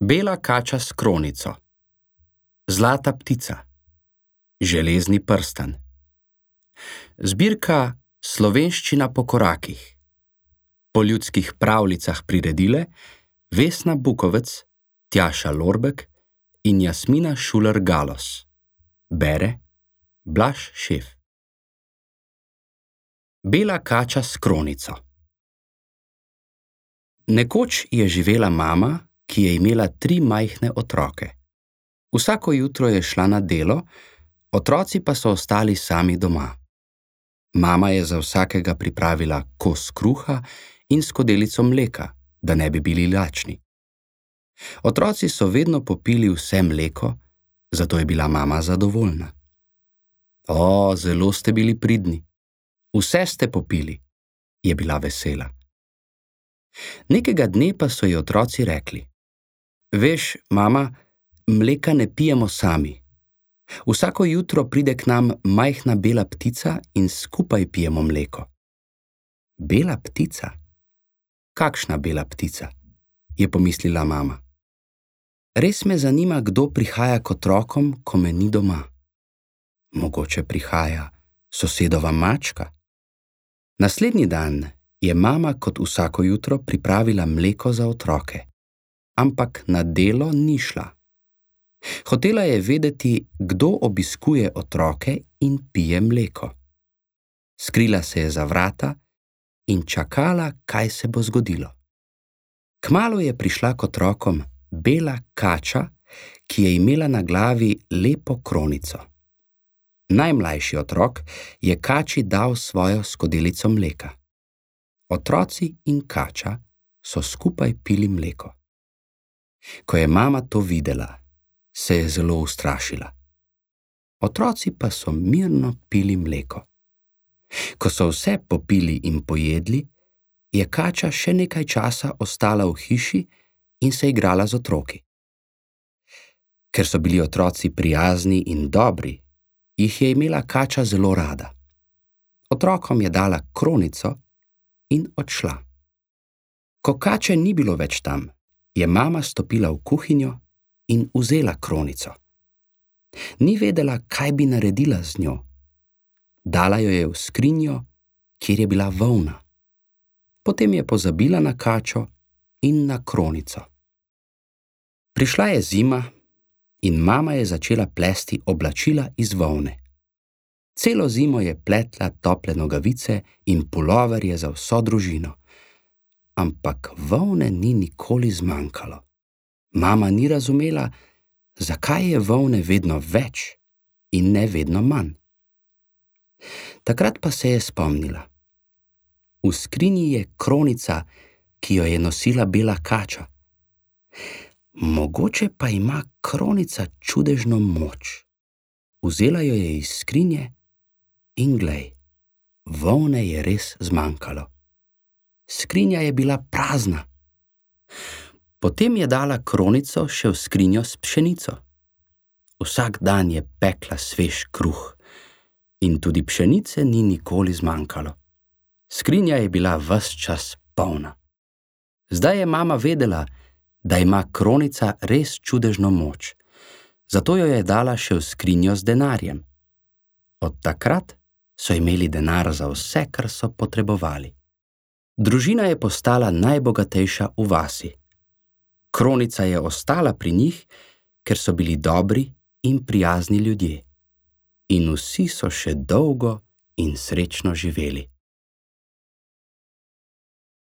Bela kača s kronico, zlata ptica, železni prstan. Zbirka Slovenščina po korakih, po ljudskih pravljicah priredile Vesna Bukovec, Tjaša Lorbek in Jasmina Šuler-Galos. Bere Blaž Šef. Bela kača s kronico. Nekoč je živela mama, ki je imela 3 majhne otroke. Vsako jutro je šla na delo, otroci pa so ostali sami doma. Mama je za vsakega pripravila kos kruha in skodelico mleka, da ne bi bili lačni. Otroci so vedno popili vse mleko, zato je bila mama zadovoljna. O, zelo ste bili pridni. Vse ste popili, je bila vesela. Nekega dne pa so ji otroci rekli: Veš, mama, mleka ne pijemo sami. Vsako jutro pride k nam majhna bela ptica in skupaj pijemo mleko. Bela ptica? Kakšna bela ptica? Je pomislila mama. Res me zanima, kdo prihaja k otrokom, ko me ni doma. Mogoče prihaja sosedova mačka. Naslednji dan je mama kot vsako jutro pripravila mleko za otroke, ampak na delo ni šla. Hotela je vedeti, kdo obiskuje otroke in pije mleko. Skrila se je za vrata in čakala, kaj se bo zgodilo. Kmalu je prišla k otrokom bela kača, ki je imela na glavi lepo kronico. Najmlajši otrok je kači dal svojo skodelico mleka. Otroci in kača so skupaj pili mleko. Ko je mama to videla, se je zelo ustrašila. Otroci pa so mirno pili mleko. Ko so vse popili in pojedli, je kača še nekaj časa ostala v hiši in se igrala z otroki. Ker so bili otroci prijazni in dobri, jih je imela kača zelo rada. Otrokom je dala kronico in odšla. Ko kače ni bilo več tam, je mama stopila v kuhinjo in vzela kronico. Ni vedela, kaj bi naredila z njo. Dala jo je v skrinjo, kjer je bila volna. Potem je pozabila na kačo in na kronico. Prišla je zima in mama je začela plesti oblačila iz volne. Celo zimo je pletla tople nogavice in puloverje za vso družino. Ampak volne ni nikoli zmanjkalo. Mama ni razumela, zakaj je volne vedno več in ne vedno manj. Takrat pa se je spomnila. V skrinji je kronica, ki jo je nosila bela kača. Mogoče pa ima kronica čudežno moč. Vzela jo je iz skrinje in glej, volne je res zmanjkalo. Skrinja je bila prazna. Potem je dala kronico še v skrinjo s pšenico. Vsak dan je pekla svež kruh in tudi pšenice ni nikoli zmanjkalo. Skrinja je bila ves čas polna. Zdaj je mama vedela, da ima kronica res čudežno moč, zato jo je dala še v skrinjo z denarjem. Od takrat so imeli denar za vse, kar so potrebovali. Družina je postala najbogatejša v vasi. Kronica je ostala pri njih, ker so bili dobri in prijazni ljudje. In vsi so še dolgo in srečno živeli.